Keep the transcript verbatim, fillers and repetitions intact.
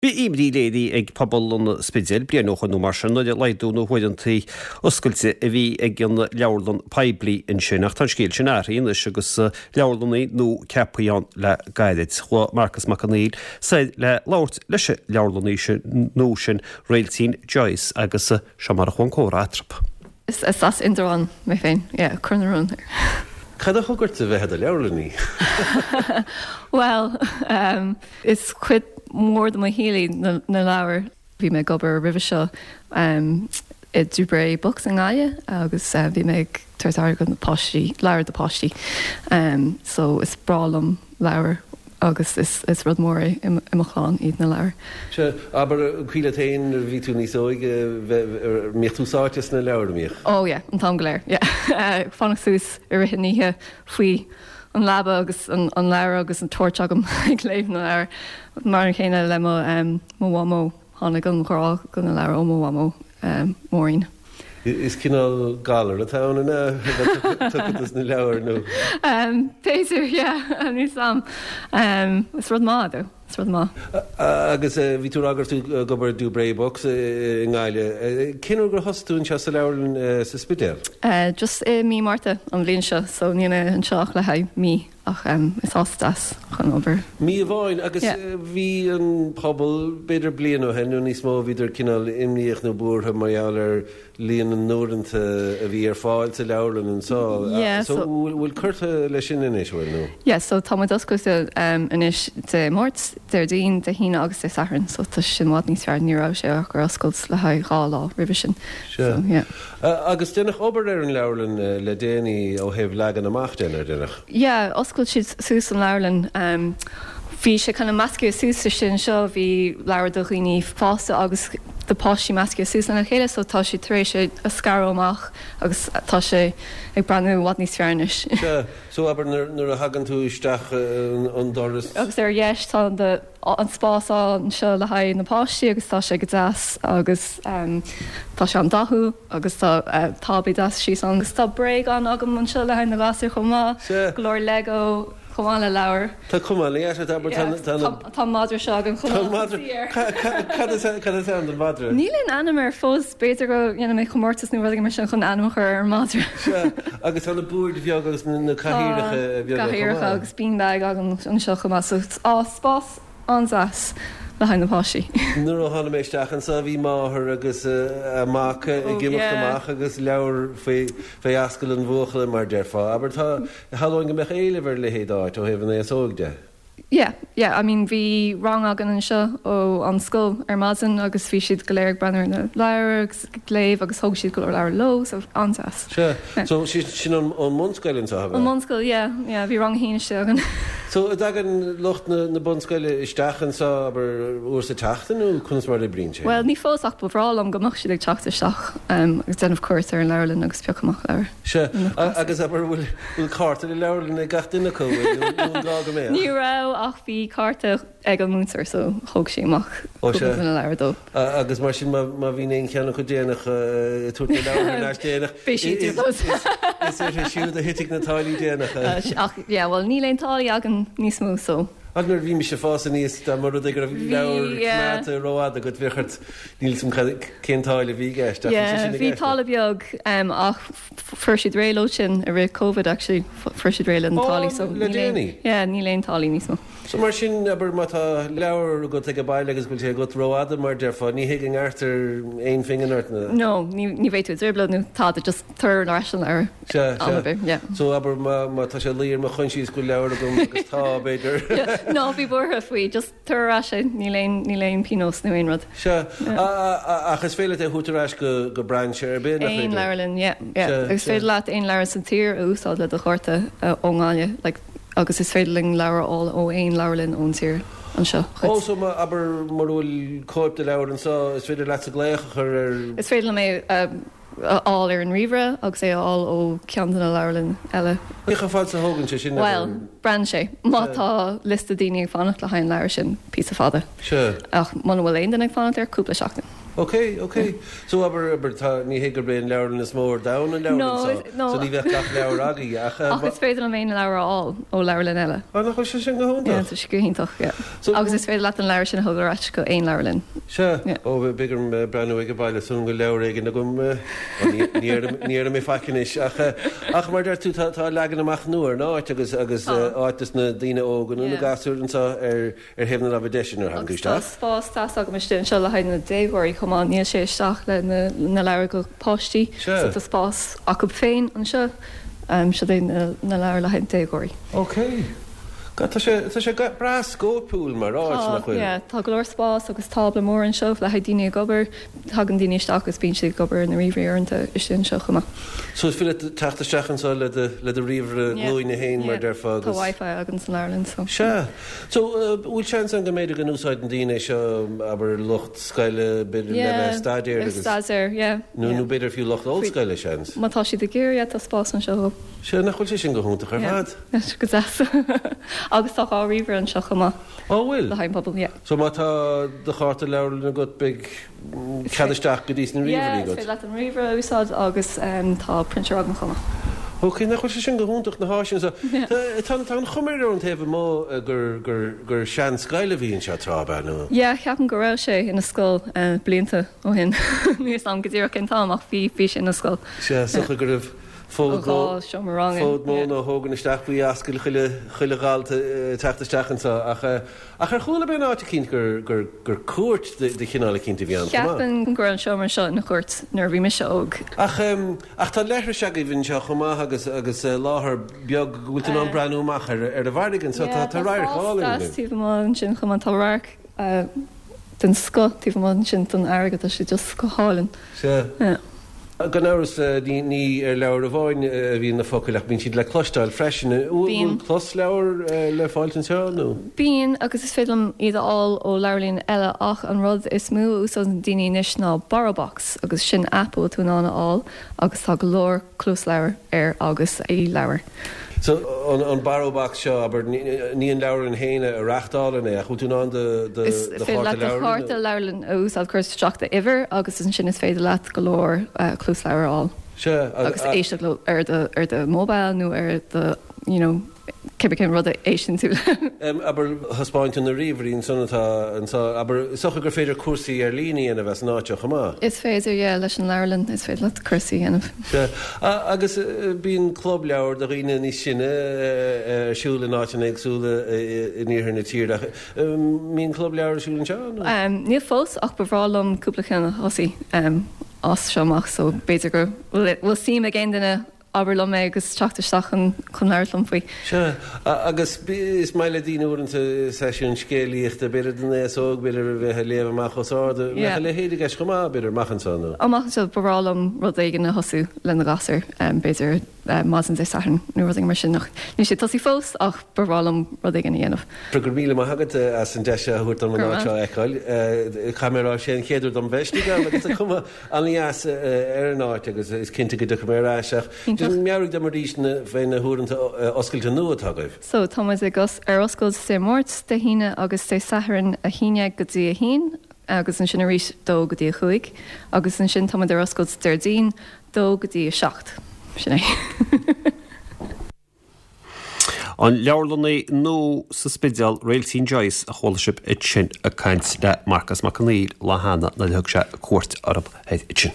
Bhí imní léirithe ag pobal an Spidéil bliain ó shin nó mar sin nuair a laghdaíodh na huaireanta oscailte a bhí ag an leabharlann poiblí ansin ach tá an scéal sin athraithe anois agus leabharlannaí nua ceaptha ann le gairid. Chuaigh Marcus Mac Conghail soir le labhairt leis an leabharlannaí sin nua sin Réiltín Joyce agus seo mar a chuaigh an comhrá eatarthu. Is as Indreabhán mé féin, yeah, Cor na Rón. Cad a thug ort a bheith i do leabharlannaí? Well, um, is cuid mór de mo shaol í na, na leabhair. Bhí mé ag obair roimhe seo um, i Dubray Books i nGaillimh agus uh, bhí mé ag tabhairt aire do na páistí, leabhair do páistí. Um, so is breá liom leabhair agus is, is rud mór é i i mo chlann iad na leabhair. Sea, abair cuimhin leat féin nuair a bhí tú níos óige an mbíodh tú sáite sna leabhair an mbíodh? Oh yeah, an t-am go léir. Yeah. Fanacht suas i rith an oíche faoi an leaba agus an, an leabhar agus an torch agam ag léamh na leabhar. Mar an chéanna le mo, um, mo mhamó tháinig an grá do na leabhair ó mo mhamó um, Maureen. Is cineál galar atá ann an ea tugtha dos na leabhair nó? Um, B'fhéidir, yeah, níl am. Um, is rud maith though, is rud maith. Agus bhí tú ag rá go raibh tú ag obair Dubray Books i nGaillimh. Cén uair gur thosaigh tú anseo sa leabharlann sa Spidéal? Uh, just i mí Márta an bhliain seo, so níl mé anseo ach le haghaidh mí ach um, is áit deas chun obair. Mí amháin agus Yeah. bhí an pobal b'fhéidir bliain ó shin nó níos mó bhíodar cineál imníoch nó buartha mar gheall ar líon na n-uaireanta a bhí ar fáil sa leabharlann anseo. Yeah, so so- bhfuil bhfuil curtha leis sin anois bhfuil nó? Yeah, so tá muid oscailte um, anois Dé Máirt, Déardaoin, Dé hAoine agus Dé Sathairn, so tá sin i bhfad níos fearr ní raibh sé ach ar oscailt le haghaidh dhá lá roimhe sin. Sea. So, yeah. Uh, agus deineadh obair ar an leabharlann uh, le déanaí ó thaobh leagan amach de ar deineadh. Yeah, oscail siad suas an leabharlann. Um, bhí sé kind of measctha suas sin seo bhí leabhair do dhaoine fásta agus do páistí measctha suas lena chéile, so tá sé tar éis é a scaradh amach agus tá sé ag breathnú i bhfad níos fearr anois. Sea, so abair nuair nuair a thagann tú isteach uh, an, an doras. Agus ar dheis tá an, de, an spás anseo le haghaidh na páistí agus tá sé go deas agus um, tá sé an-dathúil agus tá uh, tábla deas síos ann agus tá bréagán agam anseo le haghaidh na gasúir chomh maith, Sea. go leor Lego chomh maith le leabhair. Tá cuma le abair tá tá Tá tá madra seo agam chomh Tá maith. madra Cad is cad is ainm don mhadra? Níl aon ainm air fós b'fhéidir go ndéanfaidh mé comórtas nó rud mar sin chun ainm a chur ar an madra. Sea, agus tá na boird bheaga agus na na cathaoireacha beaga Cathaoireacha agus beanbag agam anseo chomh maith, so á spás an-deas le haghaidh na páistí. Nuair a tháinig mé isteach anseo bhí máthair agus uh, a mac ag Oh, imeacht yeah. amach agus leabhar faoi fé ascail an bhuachalla mar déarfá. Abair tá shamhlóinn go mbeadh éileamh ar leithéid áit ó thaobh an aos óg de. Yeah, yeah, I mean bhí rang againn anseo ó an scoil ar maidin agus bhí siad go léir ag breathnú ar na leabhair agus ag léamh agus thóg siad go leor leabhar leo, so an-deas. Sea, so sin sin an an mbunscoil anseo An mbunscoil, yeah, yeah, bhí rang a haon istigh againn. So an dtagann lucht na, na bunscoile isteach anseo abair uair sa tseachtain nó conas mar a oibríonn sé? Well, ní fós ach ba bhreá liom go mbeadh siad ag teacht isteach um, agus déanamh cuairt ar an leabharlann agus piocadh amach leabhar. Sea, a- agus abair bhfuil bhfuil cárta le leabharlann ag gach duine acu nó nó an gá go mbeadh? Ní raibh ach bhí cárta ag an múinteoir so thóg sí amach Ó, sea. cúpla leabhar dó. A- agus mar sin má má bhíonn aon cheann acu déanach uh, tabhairt na leabhair ar ais déanach. Bhí siad Is- fós. is- Is uirthi siúd a thitfidh na táillí déanacha. Uh, ach yeah, well níl aon táillí againn níos mó so. Ach nuair bhí mise ag fás aníos dá mba rud é go raibh Bhí, leabhar yeah. coimeádta rófhada agat bheadh ort níl 'fhios a'm cén táille a bhí i gceist ach bhí sé Yeah, sin i bhí gceist. táille beag um, ach fuair siad réidh leo sin i rith COVID actually fuair siad réidh le na Ó, táillí so le níl aon- déanaí? Yeah, níl aon táillí níos mó. So mar sin abair má tá leabhar agat ag an baile agus bhfuil sé agat rófhada mar déarfá, ní hé go ngearrtar aon phingin ort na. No, ní ní bheidh tú i dtrioblóid nó tá just tabhair ar ais an leabhar. Sea, am ar sea. bith, yeah. So abair má má tá sé luí ar mo choinsias go bhfuil leabhar agam agus tá b'fhéidir. Yeah, no, bhí buartha faoi, just tabhair ar ais é, níl aon níl aon pionós nó aon rud. Sea, a- a- ach is féidir leat é a thabhairt ar ais go go brainse ar bith nach Aon féidir? leabharlann, yeah, yeah. Sea, Agus sea. féidir leat aon leabhar sa tír a úsáid le do chárta uh, ón nGaillimh, like, agus is féidir linn leabhar a fháil ó aon leabharlann ón tír anseo. Ó so má abair mura bhfuil cóip de leabhar anseo is féidir leat sa glaoch a chur ar Is féidir liom é um, a fháil ar an ríomhaire agus é a fháil ó cheann de na leabharlann eile. Cé chomh fada is a thógann sé sin Well, braitheann sé. Má tá liosta daoine ag fanacht le haghaidh an leabhar sin píosa fada. Sea. Ach muna bhfuil aon duine ag fanacht air cúpla seachtain. Ok, ok. So abair abair tá ní hé gurb é an leabharlann is mó ar domhan an leabharlann No, so. So ní bheadh gach leabhar agaibh ach eh, Ach is féidir liom aon leabhar a fháil ó leabharlann eile. Ah, nach bhfuil sé sin go Yeah, hiontach. tá sé go hiontach, yeah. So- Agus is féidir leat an leabhar sin a thógáil ar ais go aon leabharlann. Se Yeah. ó beidh orm breathnú ag baile san go leabhar éigin agam eh, ó, ní- ní ar- ní ar mé faic ach eh, ach mar deir tú tá tá leagan amach nua ar an áit agus agus Tá. eh, áit dos na daoine óga nó na Yeah. gasúir anseo ar ar thaobh na láimhe deise nuair a thagann tú Agus tá isteach. spás deas agam istigh anseo le haghaidh na déagóirí chomh maith níl sé isteach le na, na leabhair go páistí Sure. so tá spás acu féin anseo um, seo é na, na leabhair le haghaidh déagóirí. Ok. Ga- Tá sé tá sé ga- breá scóipiúil mar áit nach bhfuil. yeah, tá go leor spás agus tábla mór anseo le haghaidh daoine ag obair, tagann daoine isteach agus bíonn siad ag obair na ríomhairí uaireanta istigh anseo chomh maith. So is féidir teacht isteach anseo le do le do ríomhaire glúine féin mar déarfá Tá Wi-Fi againn san leabharlann so. Se. So uh, bhfuil seans ann go mb'fhéidir go n-úsáideann daoine seo abair lucht scoile b'fhéidir le bheith staidéar agus staidéar, yeah. nó yeah. nó b'fhéidir fiú lucht ollscoile seans. Má tá siad ag iarraidh tá spás anseo. Se nach bhfuil sé sin go hiontach ar Yeah. fad. Yes, go deas. Agus tá dhá ríomhaire anseo chomh maith Ó bhfuil. le haghaidh an pobal, yeah. So má tá do chárta leabharlann agat beidh cead isteach go dtí na Yeah, ríomhairí is agat. féidir leat an ríomhaire a úsáid agus um, tá printer agam chomh maith. Ok, nach bhfuil sé sin go hiontach na háiseanna so Tá tá an chuma ar an taobh amuigh gur gur gur seanscoil a bhí anseo tráth nó. Yeah, ceapaim go raibh sé ina scoil uh, blianta ó shin. Níl a fhios agam go díreach cén t-am ach bhí bhí sé ina scoil. Se socha go raibh fód Ó dhá seomra ranga. Fód mó Yeah. nó thógan isteach faoi ascail chuile chuile dhalta teacht isteach anseo ach eh, ach ar chuala mé in áit eicínt gur gur gur cúirt de de chineál eicínt a bhí ann. chomh maith. Ceapaim go raibh an seomra seo ina chúirt nuair a bhí mise óg. Ach um, ach tá leithris agaibh anseo chomh maith agus agus uh, láthair beag go bhfuil tú in ann breathnú amach ar ar an bhfarraige anseo tá tá radharc álainn. taobh amuigh ansin chomh maith tá radharc uh, den scoth taobh amuigh ansin don fharraige tá sé just go hálainn. Se. Yeah. Gan amhras ní ní ar leabhar amháin a bhíonn na focail ach bíonn siad le cloisteáil freisin. Bíonn. Closleabhar le fáil anseo nó? Bíonn agus is féidir liom iad a fháil ó leabharlann eile ach an rud is mó a úsáideann daoine anois ná Borrowbox agus sin app atá tú in ann a fháil agus tá go leor closleabhar air agus e-leabhar. So an, an Borrowbox seo abair ní ní an leabharlann féin a reáchtálann é ach bhfuil tú in ann do do Is do féidir leat do chárta leabharlann a úsáid cur isteach d'uimhir agus ansin is féidir leat go leor uh, closleabhar a fháil. Se agus éisteacht leo ar do ar do mobile nó ar do you know cibé cén rud a éisteann tú. Um, abair thaispeáin tú na ríomhairí ansan atá anseo abair is dócha gur féidir cúrsaí ar líne a bheith san áit seo chomh maith. Is féidir yeah, leis an leabharlann is féidir leat cúrsaí a dhéanamh. Se a- agus eh, bíonn club leabhar do dhaoine níos sine eh, ar siúl in áiteanna éagsúla eh, in iarthar na tíre. Mbíonn club leabhar ar siúl anseo? nó? Um, níl fós ach ba bhreá liom cúpla ceann a thosú um, as seo amach so b'fhéidir go bhfuil bhfuil suim ag aon duine abair liom é agus teacht isteach chun chun labhairt liom faoi. Se a- agus bí- is maith le daoine uaireanta seisiún scéalaíochta b'fhéidir don aos óg b'fhéidir a bheith ag léamh amach os ard Yeah. le héidir chomh maith b'fhéidir amach anseo nó. Amach anseo ba bhreá liom rud éigin a thosú le na gasúir um, b'fhéidir uh, maidin Dé Sathairn nó rud éigin mar sin nach. Níl sé tosaithe fós ach ba bhreá liom rud éigin a dhéanamh. Go míle maith agat eh, as an deis a thabhairt dom an Go áit seo a fheiceáil. Camerá sé an chéad uair dom bheith agus tá cuma an-deas ar an áit agus is cinnte go dtiocfaidh mé ar ais ach Iontach. meabhraigh dom arís na fé na huaireanta oscailte nua atá agaibh. So tá muid ag os ar oscailt Dé Máirt Dé hAoine agus Dé Sathairn a haon déag go dtí a haon agus ansin arís dó go dtí a cúig agus ansin tá muid ar oscailt Déardaoin dó go dtí a seacht. Sin é. An leabharlannaí nua sa Spidéal Réiltín Joyce a chuala sibh ansin ag caint le Marcas Mac Conghail lá cheana nuair a thug sé cuairt orthu ansin.